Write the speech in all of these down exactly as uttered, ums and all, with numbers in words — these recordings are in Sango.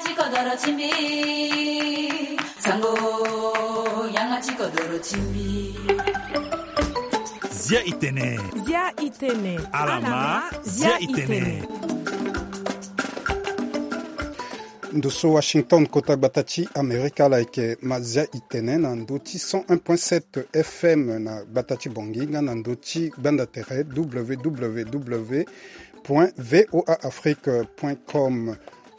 Ti kodoro ti mbi. Sango, yanga ti kodoro ti mbi. Zia itene. Zia itene. Alama, zia itene. Ndo so Washington, kota gbata ti Amerika, ala yeke ma zia itene na ndo ti cent un point sept F M na gbata ti Bangui nga na ndo ti gbanda tere W W W point V O A Afrique point com.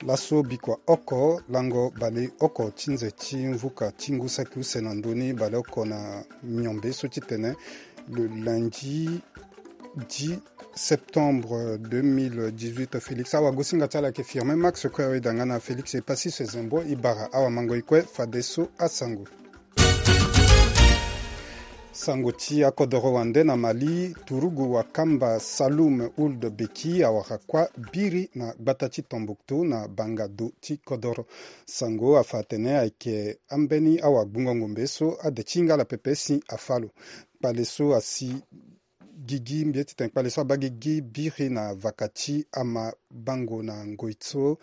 Laso bikua oko lango baleoko ti nze ti mvuka ti ngu saki use na ndö ni, baleoko na miombe so ti tene le lundi dix septembre deux mille dix-huit. Félix awagosinga ti ala yeke Firmin Max, kue awe danga na Félix Epassis Zembo. E bara awamango e kue fadeso asango. Sango ti akodoro wande na Mali, turugu wakamba Saloum Ould Beki awara kuâ biri na gbata ti Tombouctou na banga do ti kodoro. Sango afa atene ayeke ambeni awagbungo ngombe so ade ti hinga ala pepe si afa lo. Kpale so asi gigi, mbi ye ti tene kpale so abaa gigi biri na vaka ti amabango na ngoi so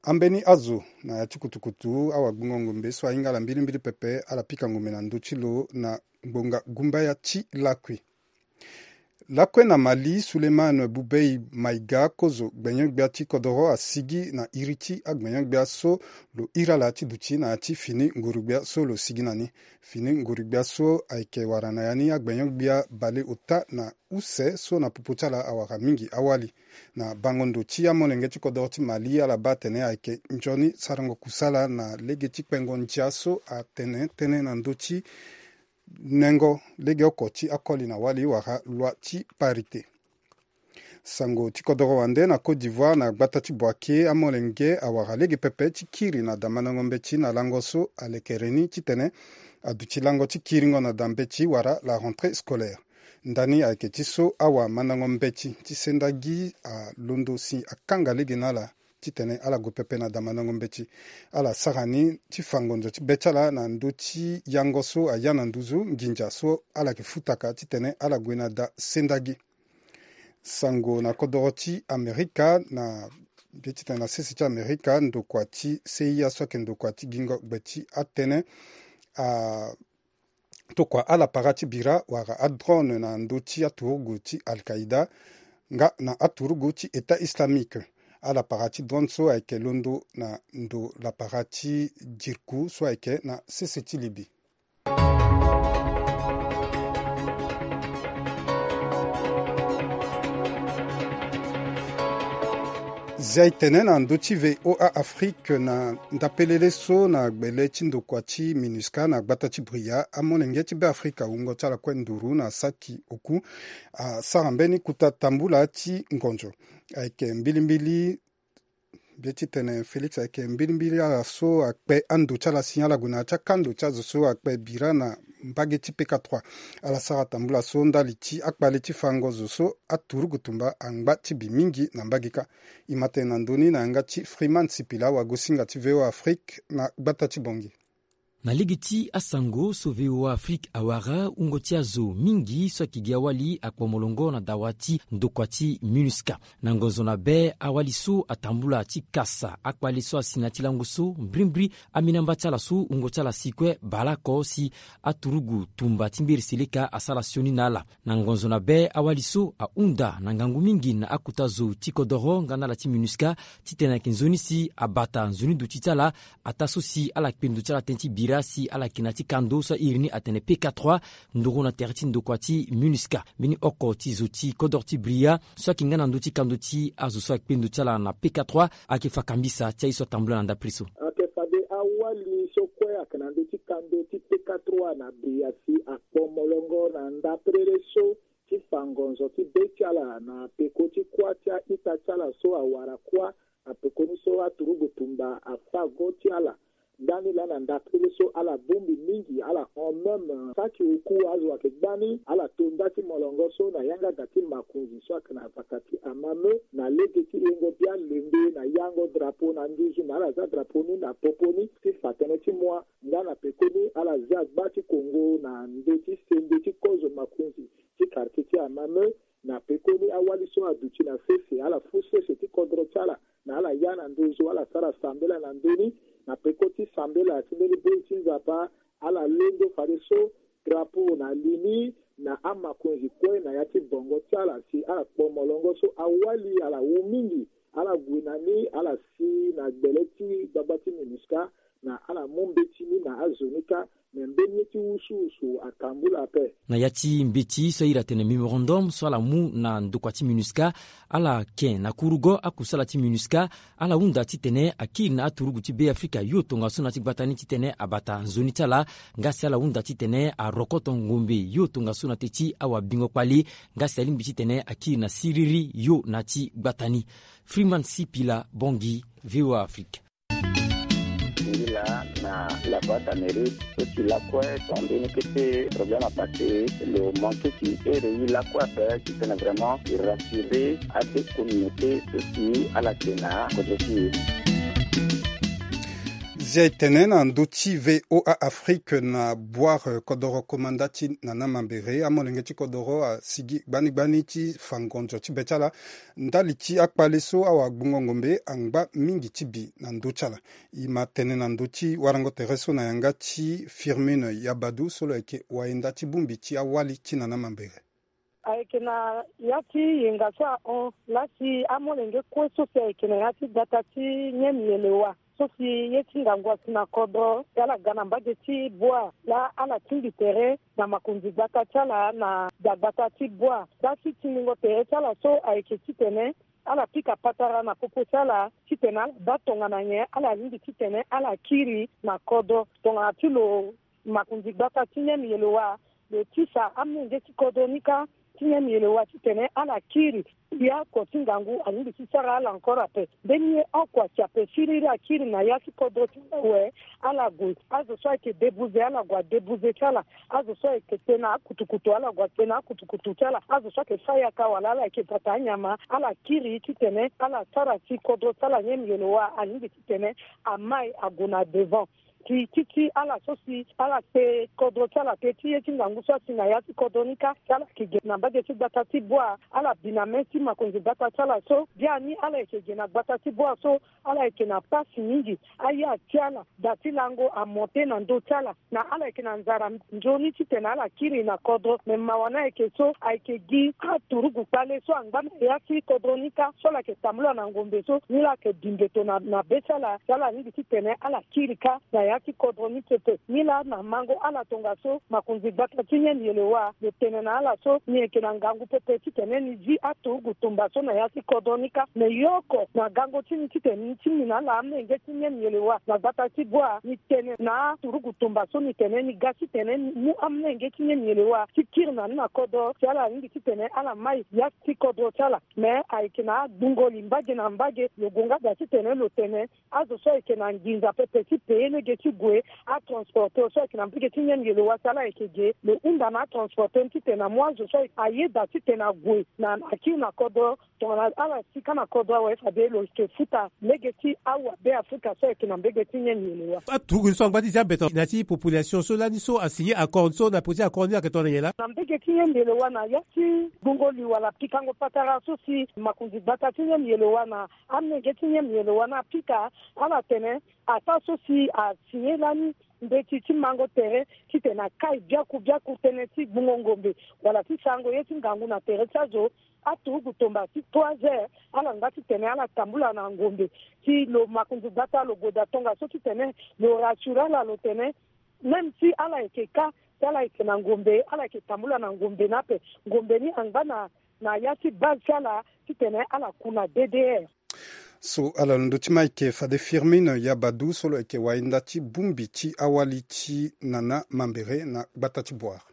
ambeni azo na ya ti kutukutu awagbungo ngombe so ahinga ala mbilimbili pepe, ala pika ngombe na ndö ti lo na ngbonga gumbaya ti lakui. Lakue na Mali, Souleymane Boubèye Maïga, kozo gbenyo-gbia ti kodoro, asigi na iri ti agbenyo-gbia so lo iri ala ti duti na ya ti fini nguru-gbia so lo sigi na ni. Fini nguru-gbia so ayeke wara na ya ni agbenyo-gbia baleota na use so na popo ti ala awara mingi awali. Na bango ndo ti amolenge ti kodoro ti Mali, ala baa atene ayeke nzoni sarango kusala na lege ti kpengo ndia so atene tënë na ndö ti nengo legeoko ti akoli na wali wala loi ti parité. Sango ti kodoro wande na Côte d'Ivoire, na gbata ti Bouaké, amolenge awara lege pepe ti kiri na da mandango mbeti na lango so alekere ni titene aduti lango ti kiringo na da mbeti wala la rentrée scolaire. Ndani ayeke ti so awamandango mbeti ti sendagi alondo si akanga lege na ala titene ala gue pepe na da mandango mbeti. Ala sara ni ti fa ngonzo ti be ti ala na ndö ti yango so aya na nduzu nginza so ala yeke futaka titene ala gue na da sendagi. Sango na kodoro ti Amerika, na be titene na sese ti Amerika, ndokua ti C I A so ayeke ndokua ti gingo gbe ti atënë, a tokua ala para ti bira wala adrone na ndö ti aturugu ti Al-Qaïda nga na aturugu ti État Islamique. Ala para ti drone so ayeke londo na ndo lapara ti Jirku so ayeke na sese ti Libye. Zia e tene na ndö ti V O A Afrique na ndapelele so na gbele ti ndokua ti MINUSCA na gbata ti Bria, amolenge ti Beafrika wungo ti ala kue nduru na saki oku asara mbeni kota tambula ti ngonzo. Ayeke mbilimbili Be ti tene Félix ayeke mbilimbili ala so akpe ando ti ala si ala gue na ya ti akando ti azo so akpe bira na mbage ti P K trois. Ala sara tambula so ndali ti akpale ti fango zo so aturugu tumba angba ti bi mingi na mbage kâ. E ma tene na ndö ni na yanga ti Freeman Sipila, wagosinga ti V O A Afrique na gbata ti Bangui. Na lege ti asango so V O A Afrique awara, wungo ti azo mingi so ayeke gi awali akpo molongo na dawa ti ndokua ti MINUSCA. Na ngonzo na be, awali so atambula ti kasa akpale so asi na ya ti lango so, mbrimbri aminamba ti ala so wungo ti ala si kue baleoko si aturugu tumba ti mberi seleka asara sioni na ala. Na ngonzo na be, awali so ahunda na ngangu mingi na akota zo ti kodoro nga na ala ti MINUSCA titene ayeke nzoni si abata nzoni duti ti ala, ataa so si ala kpe ndo ti ala tënë ti bira si ala yeke na ya ti kando so airi ni atene P K trois, nduru na tere ti ndokua ti MINUSCA. Mbeni oko ti zo ti kodoro ti Bria so ayeke nga na ndö ti kando ti azo so akpe ndo ti ala na P K trois ayeke fa kambisa ti aye so atambula na ndapre so. Ayeke fade awali so kue ayeke na ndö ti kando ti P K trois na Bria si akpo molongo na ndaprele so ti fa ngonzo ti be ti ala na peko ti kuâ ti a-ita ti ala so awara kuâ na pekoni so aturugu tumba afa go ti ala. Ndani laa na ndapele so ala bongbi mingi, ala hon même saki oku azo ayeke gbani, ala to nda ti molongo so na yanga da ti makonzi so ayeke na vaka ti amame na lege ti yengo bia lembe na yango drapeau na nduzu na ala za drapeau ni na popo ni ti fa tënë ti mua. Nga na pekoni ala zia gba ti Kongo na ndö ti sende ti kozo makonzi ti quartier ti amame. Na pekoni awali so aduti na sese, ala fû sese ti kodro ti ala na ala ya na ndozo, ala sara sambela na ndö ni, na peko ti sambela ti mbeni boi ti Nzapa, ala londo fadeso drapeau na li ni na amakonzi kue na ya ti bongo ti ala si ala kpo molongo so awali ala wu mingi. Ala gue na ni, ala si na gbele ti gbagba ti MINUSCA, na ala mu mbeti ni na azo ni kâ, me mbeni ye ti wusuwusu atambula ape. Na ya ti mbeti so ahiri atene mémorandum so ala mu na ndokua ti MINUSCA, ala ke na kurugo akusala ti MINUSCA, ala hunda titene akiri na aturugu ti Beafrika yo tongaso na ti gbata ni titene abata nzoni ti ala, nga si ala hunda titene arokoto ngombe yo tongaso na te ti awabingo kpali, nga si alingbi titene akiri na siriri yo na ti gbata ni. Freeman Sipila Bongi, V O A Afrique. Ngi laa na la voix d'Amérique, so si lakue so ambeni kete problème apassé, lo manqué ti ere ye lakue ape titene vraiment e rassurer ade communauté so si ala ke na kodro ti e. Zia e tene na ndö ti V O A Afrique na Boire, eh, kodoro komanda ti Nana Mambere, amolenge ti kodoro asigi gbani gbani ti fa ngonzo ti be ti ala ndali ti akpale so awagbungo ngombe angba mingi ti bi na ndö ti ala. E ma tene na ndö ti warango tere so na yanga ti Firmin Yabadou so lo yeke wayenda ti bongbi ti awali ti Nana Mambere. Ayeke na ya ti yenga so ahon laa si amolenge kue so si ayeke na ya ti gbata ti Nyem Yelewa so si ye ti ngangu asi na kodro si ala ga na mbage ti Boire laa ala tingbi tere na makonzi gbata ti ala na dagbata ti Boire. Laa si tingbingo tere ti ala so ayeke titene ala pika patara na popo ti ala titene ala baa tongana nyen ala lingbi titene ala kiri na kodro tongana ti lo makonzi gbata ti Nyem Yelewa lo tisa amolenge ti kodro ni kâ ti Nyem Yelewa titene ala kiri. Ya oko ti ngangu alingbi ti sara ala encore ape. Mbeni ye oko asi ape siriri akiri na ya ti kodro ti ala awe. Ala gue, azo so ayeke débouze ala gue adébouze ti ala. Azo so ayeke te na akutukutu ala gue ate na akutukutu ti ala. Azo so ayeke fâ yaka wala ala yeke bata anyama ala kiri titene ala sara si kodro ti ala Nyem Yelewa alingbi titene amai ague na devant. Ti ti ti ala so si ala te kodro ti ala te ti ye ti ngangu so asi na ya ti kodro ni kâ si ala yeke ge na mbage ti gbata ti Boire, ala bi na mê ti makonzi gbata ti ala so biani ala yeke ge na gbata ti Boire so ala yeke na pasi mingi. Aya ti ala, da ti lango amonte na ndö ti ala. Na ala yeke na nzara nzoni titene ala kiri na kodro. Me mawa ni ayeke so ayeke gi aturugu kpale so angba na ya ti kodro ni kâ so ala yeke tambula na ngombe so ni la ayeke bi mbeto na, na be ti ala si ala lingbi titene ala kiri kâ na ya ti kodro ni pepe. Ni la na mango ala tongaso makonzi gbata ti Nyem Yelewa lo tene na ala so ni yeke na ngangu pepe titene ni zi aturugu tumba so na ya ti kodro ni kâ. Me ye oko na gango ti ni titene ni tingbi na ala amolenge ti Nyem Yelewa na gbata ti Boire, ni tene na aturugu tumba so ni tene ni ga titene ni mu amolenge ti Nyem Yelewa ti kiri na ni na kodro si ala lingbi titene ala mai ya ti kodro ti ala. Me ayeke na agbungo li mbage na mbage, lo gue nga da titene lo tene azo so ayeke na nginza pepe ti payer lege ti gue atransporteur so ayeke na mbage ti Nyem Yelewa si ala yeke ge, lo hunda na atransporteur ni titene amu azo so ayeke ayeda titene ague na akiri na kodro. Tongana ala si kâ na kodro awe fade lo yeke futa lege ti awabe Afrika so ayeke na mbage ti Nyem Yelewa. Aturugu ni so angba ti zia beto na ya ti population so lani so asigné accord so na peko ti accord ni ayeke tongana nyen laa? Na mbage ti Nyem Yelewa na ya ti gbungo li wala pikango patara so si makonzi gbata ti Nyem Yelewa na amolenge ti Nyem Yelewa ni apika, ala tene ataa so si asigné lani mbeti ti mango tere titene akai biaku biaku tënë ti gbungo ngombe wala ti sarango ye ti ngangu na tere ti azo. Aturugu tumba ti trois heures ala nga titene ala tambula na ngombe. Si lo makonzi gbata lo gue daa tongaso titene lo rassure ala lo tene même si ala yeke kâ, si ala yeke na ngombe, ala yeke tambula na ngombe ni ape. Ngombe ni angba na, na ya ti base ti ala titene ala ku na D D R. So ala londo ti ma ayeke fade Firmin Yabadou so lo yeke wayenda ti bongbi ti awali ti Nana Mambere na gbata ti Boire.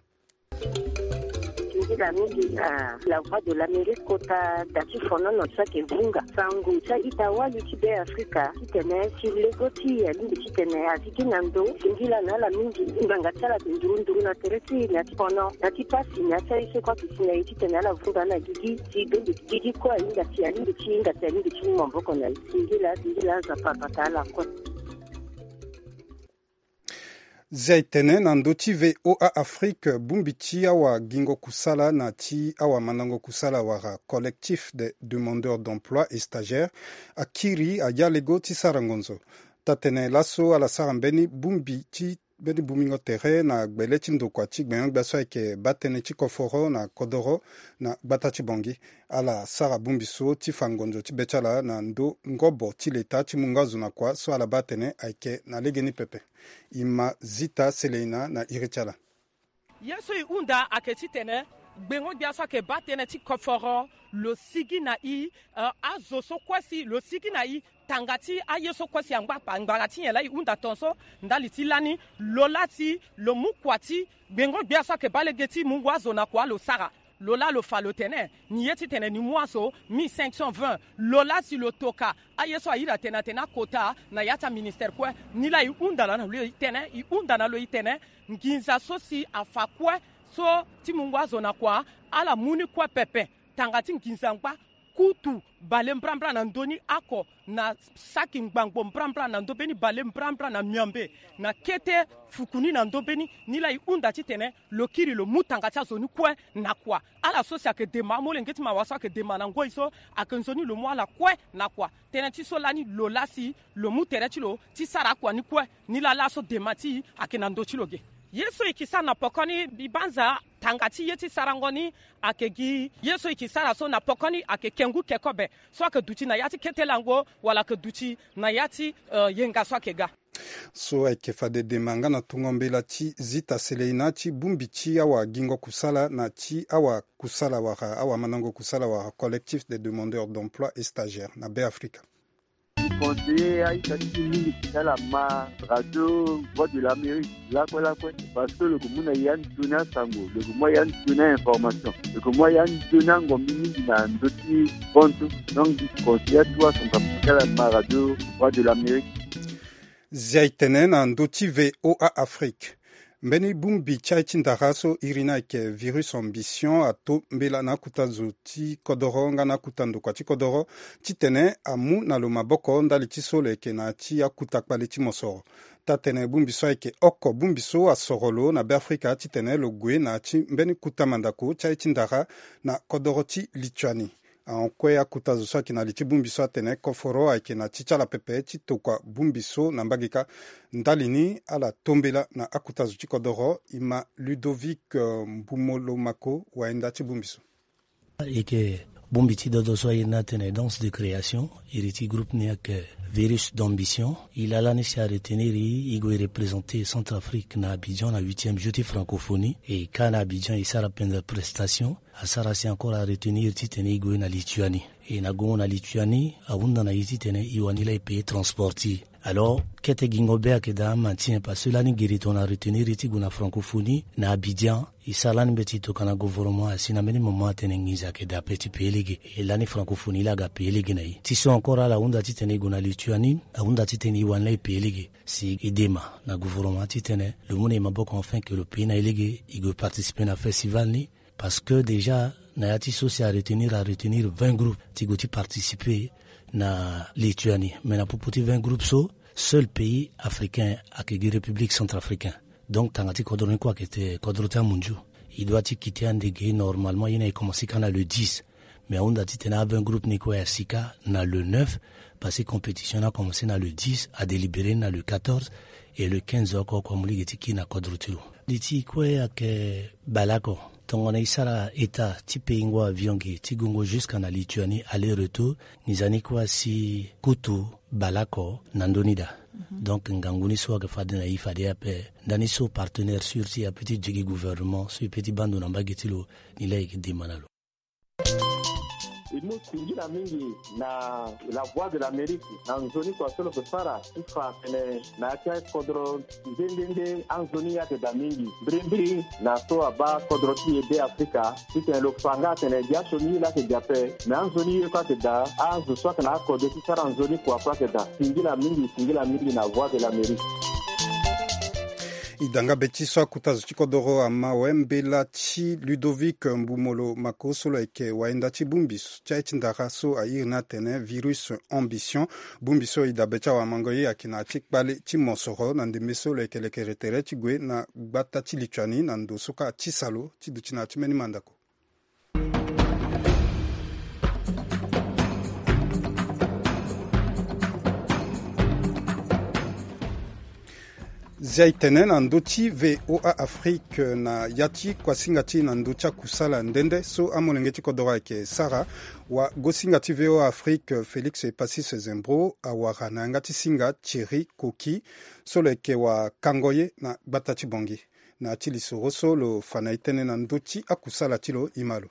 Singila mingi na La Voix de l'Amérique kota da ti fonono so ayeke vunga sango ti a-ita wali ti Be Afrika titene si lego ti e alingbi titene azi gi na ndo. Singila na ala mingi. Ngbanga ti ala ayeke nduru nduru na tere ti e na ti fono na ti pasi na ya ti aye so kue ayeke si na e titene ala vunga ala gigi si be mbi gigi kue ahinga si alingbi ti hinga si alingbi ti mu maboko na e. Singila, singila, Nzapa abata ala kue. Zia e tene na ndö ti V O A Afrique, bongbi ti awagingo kusala na ti awamandango kusala wala collectif des demandeurs d'emploi et stagiaires akiri agalego ti sara ngonzo. Taa-tënë laso ala sara mbeni bongbi ti mbeni bongbingo tere na gbele ti ndokua ti gbengo-gbia so ayeke baa tënë ti koforo na kodoro na gbata ti Bangui. Ala sara bongbi so ti fa ngonzo ti be ti ala na ndö ngobo ti leta ti mungo azo na kua so ala baa atene ayeke na legeni pepe. E ma Zita Seleina na iri ti ala. Ye so e hunda ayeke titene gbengo-gbia so ayeke baa tënë ti koforo lo sigi na e, eh, azo so kue si lo sigi na e. Tanga ti aye so kue si angba angba ti nyen laa e hunda tongaso ndali ti lani lo laa si lo mu kua ti gbengo-gbia so ayeke baa lege ti mungo azo na kua lo sara. Lo laa lo fa lo tene ni ye titene ni mu azo mille cinq cent vingt. Lo laa si lo toka aye so ahiri atene atene akota na ya ti aministere kue. Ni laa e hunda na lo e tene, e hunda na lo e tene nginza so si afa kue so ti mungo azo na kua ala mu ni kue pepe. Tanga ti nginza angba kutu bale mbrambra na ndö ni oko na saki ngbangbo mbrambra na ndö mbeni bale mbrambra na miambe na kete fuku ni na ndö mbeni. Ni laa e hunda titene lo kiri lo mu tanga ti azo ni kue na kua. Ala so si ayeke dema amolenge ti mawa so ayeke dema na ngoi so ayeke nzoni lo mu ala kue na kua. Tënë ti so lani lo laa si lo mu tere ti lo ti sara akua ni kue. Ni laa laso dema ti e ayeke na ndö ti lo ge. Ye so e ke sara na poko ni mbi banza tanga ti ye ti sarango ni ayeke gi ye so e ke sara so na poko ni ayeke kengu kekobe so ayeke duti na ya ti kete lango wala ayeke duti na ya ti, eh, yenga so ayeke ga. So ayeke fade dema nga na tongo mbela ti Zita Seleina ti bongbi ti awagingo kusala na ti awakusala wala awamandango kusala wala collectif des demandeurs d'emploi et stagiaires na Beafrika. Conseiller aita ti mingi ti ala ma radio Voix de l'Amérique lakue lakue, parce que lo yeke mu na ya nzoni asango, lo yeke mu ya nzoni a-information, lo yeke mu ya nzoni angombi mingi na ndö ti bontu. Donc mbi conseiller atuwa asango ti ala ma radio Voix de l'Amérique. Zia e tene na ndö ti V O A Afrique. Mbeni bongbi ti aye ti ndara so iri ni ayeke virus ambition ato mbela na akuta zo ti kodoro nga na akuta ndokua ti kodoro titene amu na lo maboko ndali ti so lo yeke na ya ti akuta kpale ti mosoro. Taa-tënë bongbi so ayeke oko bongbi so asoro lo na Beafrika titene lo gue na ya ti mbeni kuta mandako ti aye ti ndara na kodoro ti Lituanie. Ahon kue akuta zo so ayeke na li ti bongbi so atene koforo ayeke na ti ti ala pepe ti tokua bongbi so na mbage kâ. Ndali ni ala to mbela na akuta zo ti kodoro. E ma Ludovic, eh, Mbumolomako wayenda ti bongbi so. E yeke bongbi ti dodo so aye ni atene danse de création, iri ti groupe ni ayeke virus d'ambition. E laa lani si aretenir e, e gue représenter Centrafrique na Abidjan na huitième jour ti francophonie. E kâ na Abidjan e sara penza prestation. Asara si encore aretenir titene e gue na Lituanie. E na gongo na Lituanie ahunda na e titene e wani laa e payer transport ti e. Alors kete gingo be ayeke daa ama ti nyen, parce que lani gere tongana aretenir e ti gue na francophonie na Abidjan. E sara lani mbeti e tokua na gouvernement asi na mbeni moment atene nginza ayeke daa ape ti payer lege. E lani francophonie laa aga payer lege na e. Ti so encore ala hunda titene e gue na Lituanie ahunda titene e wani laa e payer lege. Si e dema na gouvernement titene lo mu na e maboko afin que lo payer na e lege e gue participer na festival ni. Parce que déjà na ya ti so si aretenir aretenir vingt groupes ti gue ti participer na Lituanie. Mais na popo ti vingt groupes so, seul pays africain ayeke gi République centrafricaine. Donc tanga ti kodro ni kue ayeke te kodro ti amunzu. E doit ti quitté andege normalement, ye na e commencé kâ na le dix. Mais ahunda titene a vingt groupes ni kue asi kâ na le neuf, parce que compétition ni akomense na le dix, adélibéré ni na le quatorze, et le quinze oko oko amu lege ti kiri na kodro ti lo. Li ti e kue ayeke baleoko. Tongana e sara état ti pays ngo avion ge ti gongo jusqu'à na Lituanie aller retour, nginza ni kue asi kutu baleoko na ndö ni daa. Donc ngangu ni so ayeke fade na e fade ape. Ndani so partenaire sûr ti e ape ti duti gi gouvernement so e peut ti baa ndo na mbage ti lo, ni laa e yeke dema na lo. E mu singila mingi na La Voix de l'Amérique na nzoni kua so lo yeke sara ti fa atene na ya ti akodro nde nde nde anzoni ye ayeke daa mingi. Mbirimbiri na so abaa kodro ti e Beafrika titene lo fa nga atene gi asioni ye laa ayeke daa ape, me anzoni ye kue ayeke daa. Azo so ayeke na akode ti sara nzoni kua kue ayeke daa. Singila mingi, singila mingi na Voix de l'Amérique. E da nga be ti so akuta zo ti kodoro ama awe mbela ti Ludovic Mbumolo Mako so lo yeke wayenda ti bongbi ti aye ti ndara so a iri ni atene virus ambition. Bongbi so e dabe ti awamango ye ayeke na ya ti kpale ti mosoro na ndembe so lo yeke lekere tere ti gue na gbata ti lituani na ndo so kâ ti salo ti duti na ya ti mbeni mandako. Zia e tene na ndö ti V O A Afrique na ya ti kuasinga ti e na ndö ti akusala nde nde so amolenge ti kodoro ayeke sara. Wagosinga ti V O A Afrique Félix Epacis Zembro awara na yanga ti singa Thierry Coquy so lo yeke wakango ye na gbata ti Bangui. Na ya ti lisoro so lo fa na e tënë na ndö ti akusala ti lo, e ma lo.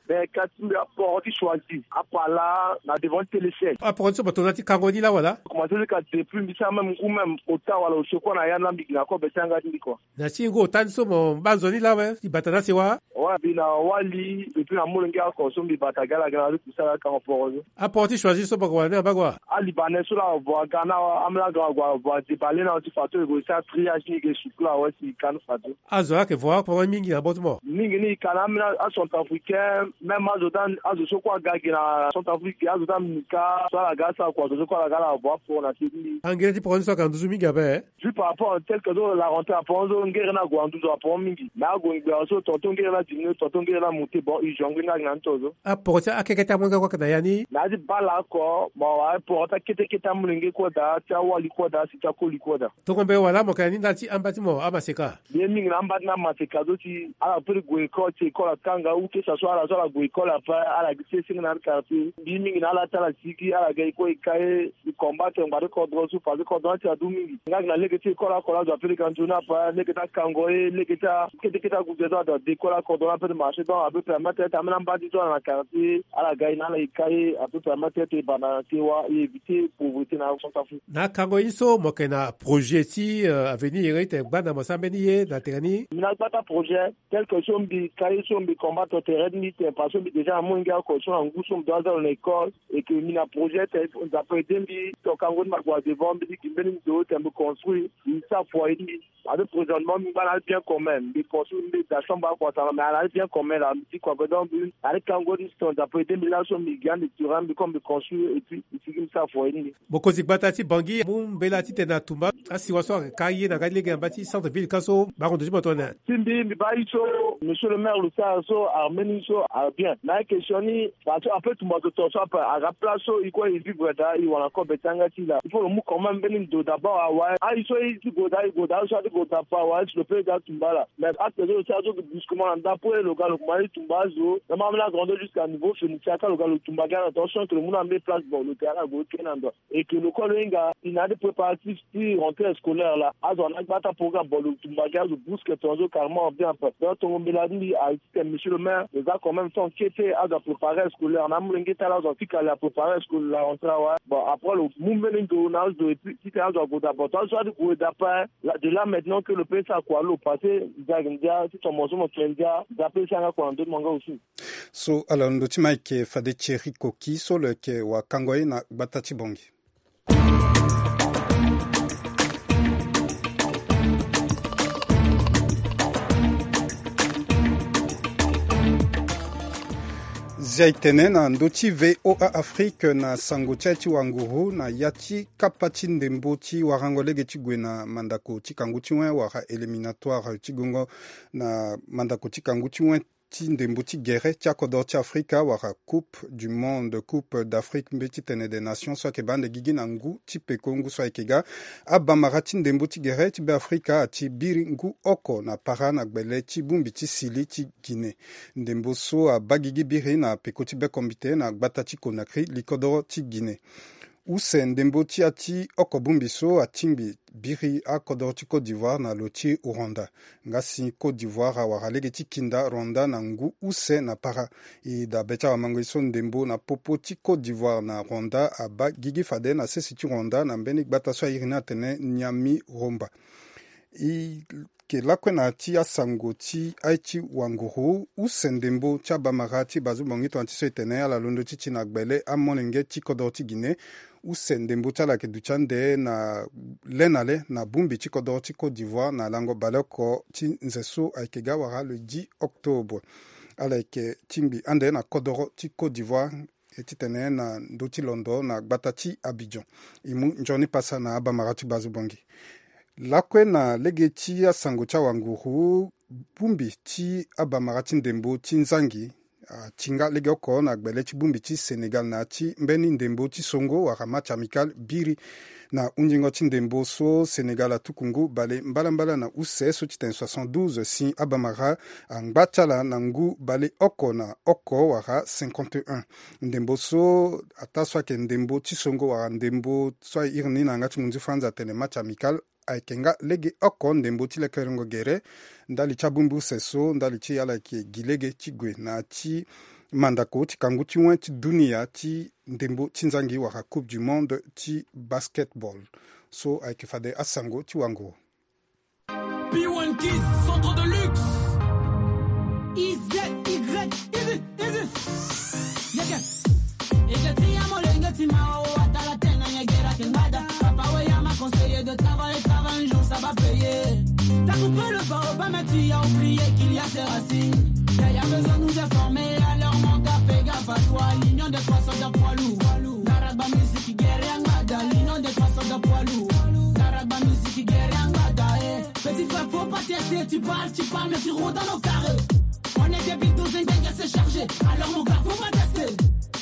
Ben kasi mbi aporo ti choisi apa laa na devant ti téléchèque. Aporo ti so mo tongana ti kango ni laa wala? Commencé ti ka depuis mbi ti amême ngu même ota wala osio kue na ya ni laa mbi gi na kobe ti yanga ti mbi kua. Na ti ngu ota ni so mo baa nzoni laa awe ti bata na asewa? Ouais mbi na wali et puis na molenge oko so mbi bata gi ala gi na ala ti kusala ti kango poro so. Aporo ti choisi so mo yeke wara ni na mbage wa? Alibanais so laa avo aga na ambeni aga avo adéballé na ti fadeso e gue ti atriage ni e ge sukula awe si e ka ni fadeso. Azo laa ayeke vo aporo mingi na bot mo? Mingi ni e ka na ambeni acentrafricain même azo ti azo so kue aga gi na centrafrique azo ti amika so ala ga asara kua azo so kue ala ga ala avo aporo na se ti mbi. Angere ti poro ni so ayeke na nduzu mingi ape? Juste par rapport tel que so la rentrée aporo so ngere ni ague na nduzu aporo mingi mais ague ngbera so tonton ngere ni adiminué tonton ngere ni amonté bon e jongle ni agi na ni to so. Aporo ti akeke ti amolenge kue ayeke na ya ni? Na ya ti bala oko mo wara poro ti akete kete amolenge kue daa ti awali kue daa si ti akoli kue daa. Tongo mbe wala mo yeke na ni ndali ti amba ti mo amaseka? Mbi ye mingi na amba ti na amaseka so si ala peut ti gue école si école atanga ou que ça soit ala so ala gue école ape ala gi ti senge na ande quartier mbi ye mingi na ala ti ala sigi ala ga e kue e ka ye. E combattre ngbari kodro so parce que kodro ni ti adu mingi nga gi na lege ti école oko laa azo ape lege anzoni ape lege ti akango ye lege ti akete kete aguze so azo ade école akodro ni ape ti marché donc ape permettre ti ambeni amba ti so ala na quartier ala ga e na ala e ka ye ape permettre ti e banda na sewa e éviter pauvreté na centrafrique. Na akango ye ni so mo yeke na projet ti avenir iri ti tene gbanda mo sara mbeni ye na tene ni? Mbi na gbata projet tel que so mbi ka ye so mbi combattre tere ti mbi tene parce que mbi déjà na molenge oko so na ngu so mbi doit aza lo na école. Et que mbi na projet tene nzapa ede mbi tongana kango ni mbi ague na devant mbi ti gi mbeni ndo tene mbi construire mbi sara foyer ti mbi. Ape présentement mbi ngba na abien commun mbi construire mbi da chambre akua tara mais ala abien commun la mbi ti kua pe donc mbi na ti kango ni si tongana nzapa ede mbi laso mbi gi ande ture mbi comme mbi construire et puis mbi sigi mbi sara foyer ti mbi. Mokonzi gbata ti bangi amu mbela titene atumba asiwa so ayeke ka ye na nga ti lege na mba ti centre ville ka so bango ndo ti mo tongana? Ti mbi mbi baa ye so monsieur le maire lo sara so armeni so abien na ye question ni. Parce que ape tumba zo tongaso ape aga place so e kue e vivre daa e wara kobe ti yanga ti e laa il faut lo mu quand même mbeni ndo d'abord awe aye so e ti gue daa e gue daa aye so a ti gue daa ape awe aye si lo pe daa tumba ala mais acte so lo sara so brusquement na ndapue lo ga lo kuma ti tumba azo na ma ambeni agrandeur jusqu'à niveau fenitia ka lo ga lo tumba gi ala tongaso que lo mu na mbeni place bon lo tene ala gue kena ndo. Et que lo kue lo hinga e na ande préparatif ti rentrée scolaire laa azo ana gbata programme bon lo tumba gi azo brusque tongaso carrément bien ape donc tongo mbela ti mbi aye ti tene monsieur le maire lo za quand même temps kete azo apréparer scolaire na amolenge ti ala azo afika la préparer scolaire la rentrée awe bon après lo mu mbeni ndo na azo et puis titene azo ague daa bon tongaso adi gue daa ape de là maintenant que lo pe sara kua lo passé ndia ayeke ndia ti tongo mo so mo tene ndia ndia pe sara nga kua na ndö ti mo nga aussi. So ala londo ti ma ayeke fade thierry koki so lo yeke wakango ye na gbata ti bongi. Zia e tene na ndö ti voa afrique na sango ti aye ti wanguru na ya ti kapa ti ndembo ti warango lege ti gue na mandako ti kangu ti wen wala éliminatoire ti gongo na mandako ti kangu ti wen ti ndembo ti gere ti akodoro ti afrika wala coupe du monde coupe d'afrique mbe ti tene des nations so ayeke baa ande gigi na ngu ti peko ngu so ayeke ga. Abamara ti ndembo ti gere ti be afrika ati biri ngu oko na para na gbele ti bongbi ti sili ti guinée. Ndembo so abaa gigi biri na peko ti bekombite na gbata ti conakry likodoro ti guinée. Use ndembo ti ya ti oko bongbi so atingbi biri akodoro ti côte d'ivoire na lo ti rwanda. Nga si côte d'ivoire awara lege ti kinda rwanda na ngu use na para. E dabe ti awamango ye so ndembo na popo ti côte d'ivoire na rwanda abaa gigi fade na sese ti rwanda na mbeni gbata so airi ni atene nyami romba. E ke lakue na ya ti asango ti aye ti wanguru use ndembo ti abamara ti bazu bongi tongana ti so e tene ala londo ti ti na gbele amolenge ti kodoro ti guinée. use ndembo ti ala ayeke duti ande na le na le na bongbi ti kodoro ti Côte d'Ivoire na lango baleoko ti nze so ayeke ga wara le dix octobre. Ala yeke tingbi ande na kodoro ti Côte d'Ivoire, e titene na ndö ti londo na gbata ti Abidjan. E mu nzoni pasa na abamara ti Bazo Bongi. Lakue na lege ti asango ti awanguru, bongbi ti abamara ti ndembo ti nzangi atinga legeoko na gbele ti bongbi ti Sénégal na ya ti mbeni ndembo ti songo wala match amical biri na hunzingo ti ndembo so Sénégal atuku ngu bale mbalambala na use so ti tene soixante-douze si abamara angba ti ala na ngu bale oko na oko wala cinquante et un. Ndembo so ataa so ayeke ndembo ti songo wala ndembo so airi ni na yanga ti munzu France atene match amical ayeke nga legeoko ndembo ti lekerengo gere ndali ti abongbi use so ndali ti ala yeke gi lege ti gue na ya ti mandako ti kangu ti wen ti dunia ti ndembo ti nzangi wala Coupe du Monde ti basketball. So ayeke fade asango ti wango. P one Kids, centre de luxe. I Z Y, easy, easy. Yeke. Yeke ti ya molenge ti ma o, atala tene na yegera ke ngbada. Papa we ya ma conseiller de travail, travail un jour ça va payer. T'as coupé le baobab, mais tu as oublié qu'il y a ses racines. Yaya besoin nous informer, alors mon gars, fais gaffe à toi. L'union des trois soldats poids lourd. Ndaraba musique guerre ngbada, l'union des trois soldats poids lourd. Ndaraba musique guerre ngbada, eh. Petit frère, faut pas tester, tu parles, tu parles, mais tu rôdes dans nos carrés. On est des big douze, c'est chargé. Alors mon gars, faut pas tester.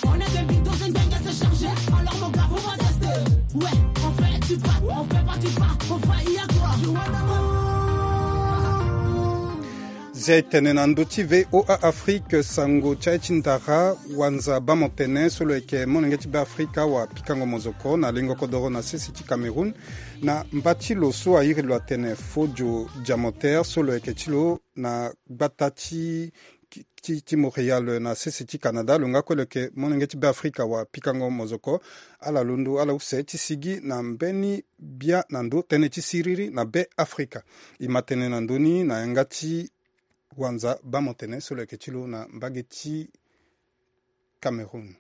On est des big douze, c'est chargé. Alors mon gars, faut pas tester. Ouais, on fait, tu pars, on fait pas, tu pars, on fait, il y a quoi? Zia e tene na ndö ti V O A Afrique, sango ti aye ti ndara, wanza bamo tene so lo yeke molenge ti Beafrika wa pikango mozoko na lengo kodoro na sese ti Cameroun, na mba ti lo so airi lo atene Fodio Diamanter so lo yeke ti lo na gbata ti, ti, ti Montréal na sese ti Canada, lo nga kue lo yeke molenge ti Beafrika wa pikango mozoko. Ala londo ala use ti sigi na mbeni bia na ndö tënë ti siriri na Beafrika. E ma tene na ndö ni na yanga ti wanza bamo tene so lo yeke ti lo na mbage ti Cameroun.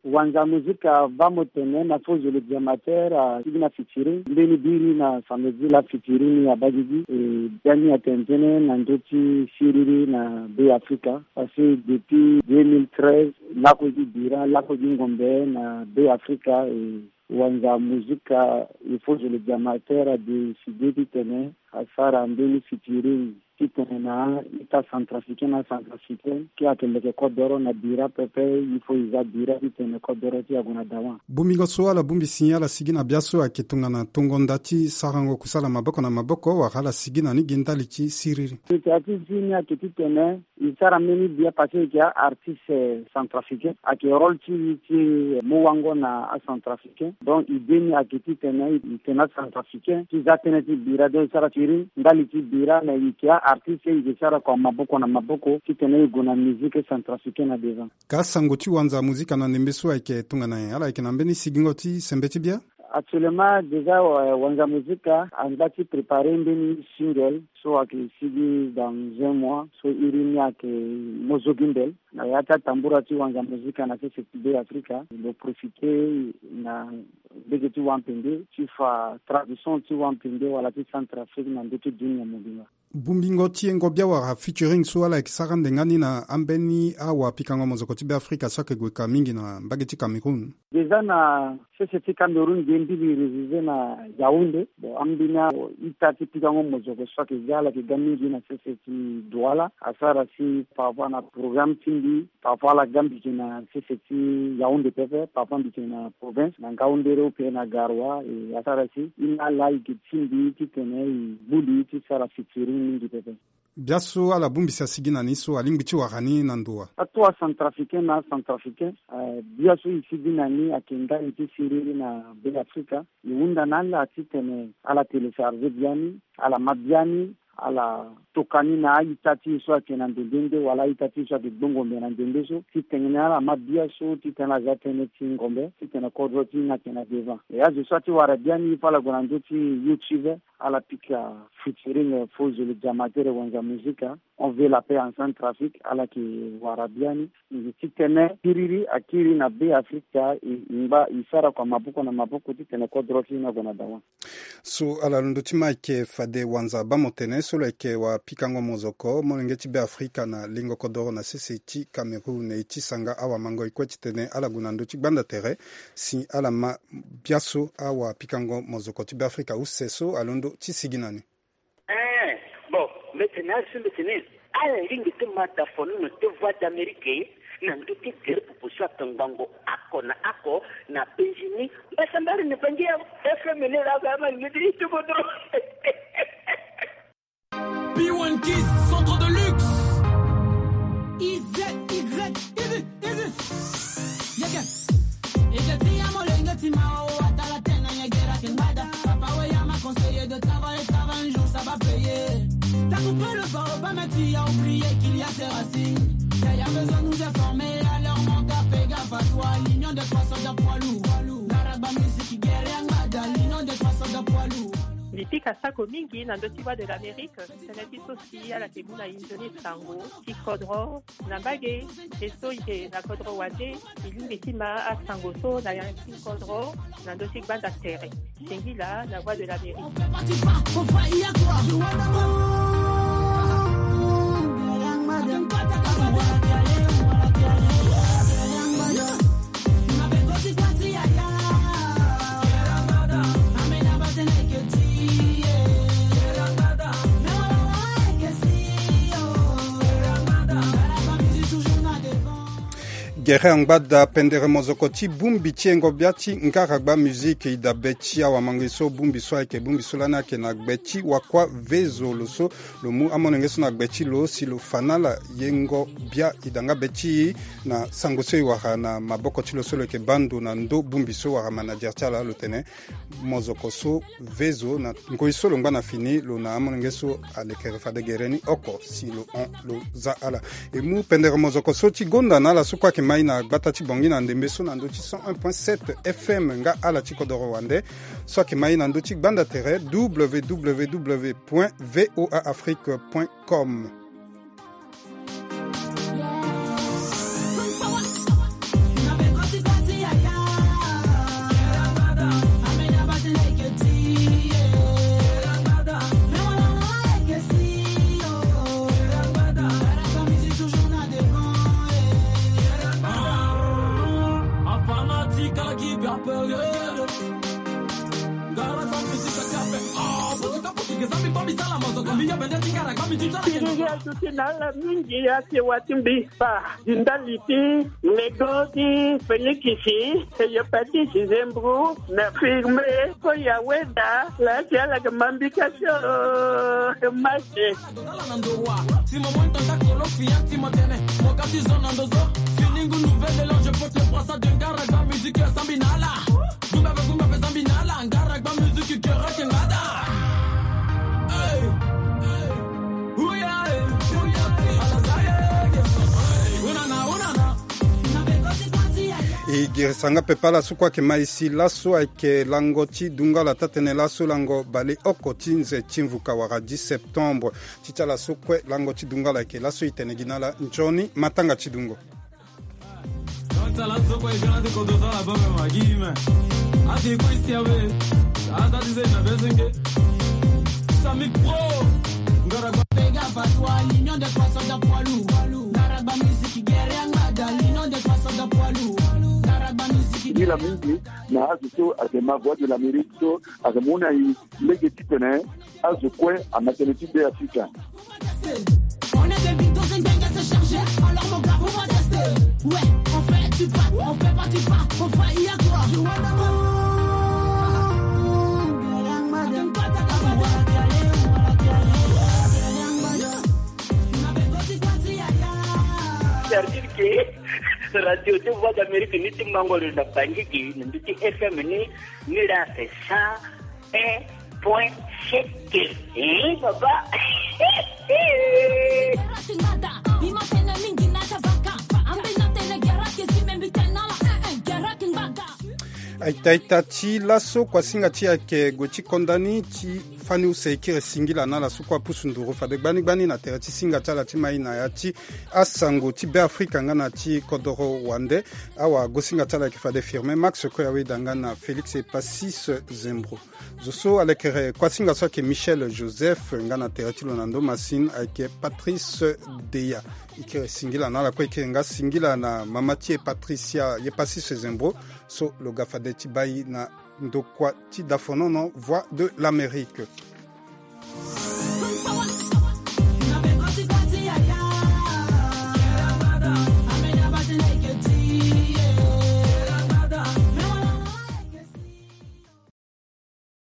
Wanza mozika bamo tene na Fodio Diamanter asigi na featuring mbeni biri na samedi la featuring ni abagigi. E biani atene tënë na ndö ti siriri na Beafrika. Parce que depuis deux mille treize, lakue gi bira, lakue gi ngombe na Beafrika, e wanza mozika e Fodio Diamanter adécidé titene asara mbeni featuring titene na ita centrafricain na centrafricain, ke ayeke leke kodoro na bira pepe, il faut e za bira titene kodoro ti e ague na dawa. Bongbingo so ala bongbi si ala sigi na bia so ayeke tongana tongo nda ti sarango kusala maboko na maboko wala ala sigi na ni gi ndali ti siriri. Initiative ti ni ayeke titene e sara mbeni bia parce que e yeke aartiste centrafricain, ayeke rôle ti e ti mu wango na acentrafricain. Donc idée ni ayeke titene e tene acentrafricain ti za tënë ti bira, donc e sara featuring ndali ti bira, mais e yeke aartiste, e yeke sara kua maboko na maboko titene e gue na musique centrafricain na devant. Ka sango ti wanza mozika na ndembe so ayeke tongana nyen? Ala yeke na mbeni sigingo ti sembe ti bia? Actuellement déjà, euh, wanza mozika angba ti préparer mbeni single so ayeke sigi dans un mois, so iri ni ayeke Mozo Gimbel. Na ya ti atambura ti wanza mozika na sese ti Beafrika, lo profiter na mbege ti wampende ti fa tradition ti wampende wala ti Centrafrique na ndö ti dunia mobimba. Bongbingo ti yengo bia wala featuring so ala yeke sara ande nga ni na ambeni awa pikango mozoko ti Beafrika so ayeke gue ka mingi na mbage ti Cameroun. Déjà na sese ti Cameroun ge mbi li révisé na Yaoundé. Bon, ambeni aita ti pikango mozoko so ayeke ga, ala yeke ga mingi na sese ti Douala. Asara si par rapport na programme ti mbi, parfois ala ga mbi yeke na sese ti Yaoundé pepe, parfois mbi yeke na province, na Ngaoundéré ou bien na Garoua, e asara si e na ala e yeke ti mbi titene e gbu li ti sara featuring mingi pepe. Bia so ala bongbi si asigi na ni so alingbi ti wara ni na ndo wa? Ato acentrafricain na acentrafricain, eh, bia so e sigi na ni ayeke ndali ti siriri na Beafrika. E hunda na ala titene ala télécharger biani, ala ma biani, ala toka ni na a-ita ti e so ayeke na ndembe nde wala a-ita ti e so ayeke gbongombe na ndembe so, titene ala ma bia so titene ala za tënë ti ngombe titene kodro ti e ni ayeke na devant. E azo so ati wara biani fo ala gue na ndö ti YouTube, ala pika featuring fo zo le diamatere Wanza Musica, On veut la paix en Centrafrique, ala yeke wara biani. Nze titene kiriri akiri na Be Afrika, e ngba e sara kua maboko na maboko titene kodro ti e ni ague na dawa. So ala londo ti ma ayeke fade Wanza Bamotene so lo yeke wapikango mozoko molenge ti Be Afrika na lingo kodoro na sese ti Cameroun, e ti sanga awamangoi kue titene ala gue na ndö ti gbanda tere si ala ma biaso awapikango mozoko ti Be Afrika use so alondo ti sigi na ni. Eh, bon, mbi tene asi mbi tene ala lingbi ti ma da fonono ti Voix d'Amérique na ndö ti tere popo so atongbango ako na ako na penzi ni. Mbasambari ni bangi ya F M ni la ba ma ngidi ti bodo. P one Kids, centre de luxe. I Z Y, easy, easy. Yeke. Yeke ti ya molenge ti ma o, atala tena yegera ke ngbada. Papa we ya ma conseiller de travailler, travailler un jour ça va payer. T'as coupé le baobab, mais tu as oublié qu'il y a ses racines. Yaya besoin nous informer, alors mon gars, fais gaffe à toi. L'union des trois soldats poids lourds. Ngaragba musique guerre ngbada, l'union des trois soldats poids lourds. Mbi pika sako mingi na ndö ti Voix de l'Amérique, tënë ti so si ala yeke mu na e nzoni sango ti kodro na mbage. E so e yeke na kodro wande, e lingbi ti ma asango so na ya ti kodro na ndö ti gbanda tere. Singila na Voix de l'Amérique. Gere angbada pendere mozoko ti bongbi ti yengo bia ti Ngaragba Musique. E dabe ti awamango so bongbi so ayeke bongbi so lani ayeke na gbe ti wakua Vezo, lo so lo mu amolenge so na gbe ti lo si lo fa na ala yengo bia. E da nga be ti e na sango so e wara na maboko ti lo so lo yeke baa ndo na ndö bongbi so wara manager ti ala, lo tene mozoko so Vezo na ngoi so lo ngba na fini lo na amolenge so alekere fade gere ni oko si lo hon lo za ala. E mu pendere mozoko so ti gonda na ala so kue ayeke mai na gbata ti Bangui na ndembe so na ndö ti cent un point sept F M nga ala ti kodoro wande so ayeke mai na ndö ti gbanda tere, W W W point V O A Afrique point com. Kiriri aduti na ala mingi, ake wa ti mbi fa di ndali ti nego ti Felikisi, Hepatite, Zembro, na Firme, Koya, Weda, la ti ala ke mambika so, Mase. Ala na ndo wa, ti mo mo ntanda kolo fiya ti mo tene, mo ka ti zo na ndo zo, fini ngu nouvelle élan, je porte le brassard de Ngaragba musique, sambi na ala. Gumba pe, gumba pe, sambi na ala, Ngaragba musique, kera ke ngada. Hey, hey, huya, hey, huya, hey, ala zaye, hey, unana, unana. E girisa nga pepe ala so kue ayeke mai si laso ayeke lango ti dungala taa-tënë laso lango baleoko ti nze ti mvuka wala dix septembre. Ti ti ala so kue lango ti dungala ayeke laso e tene gi na ala nzoni matanga ti dungo. Nila mingi na azo so ayeke ma Voix de l'Amérique so ayeke mu na e lege titene azo kue ama tënë ti Be Afrika. On est des bidons, c'est bien, c'est chargé. Alors mon gars, on va tester. Ouais, on fait du pas, on fait pas du pas, on va y croire. C'est-à-dire que radio de Voix d'Amérique ni ti mango lo na Bangui gi, na ndö ti F M ni, ni la c'est ça, eh, Point sete. Eh, baba. Aita aita ti laso kuasinga ti ayeke gue ti konda ni ti fani use e kiri singila na ala so kue apusu nduru fade gbani gbani na tere ti singa ti ala ti mai na ya ti asango ti Beafrika nga na ti kodoro wande. Awagosinga ti ala ayeke fade Firmin Max Koyaweda nga na Félix Epasis Zembro. Zo so alekere kuasinga so ayeke Michel Joseph nga na tere ti lo na ndo masine ayeke Patrice Deya. E kiri singila na ala kue, e kiri nga singila na mama ti e Patricia, ye Patrice Zembro so lo ga fade ti bai na ndokua ti dafonono Voix de l'Amérique.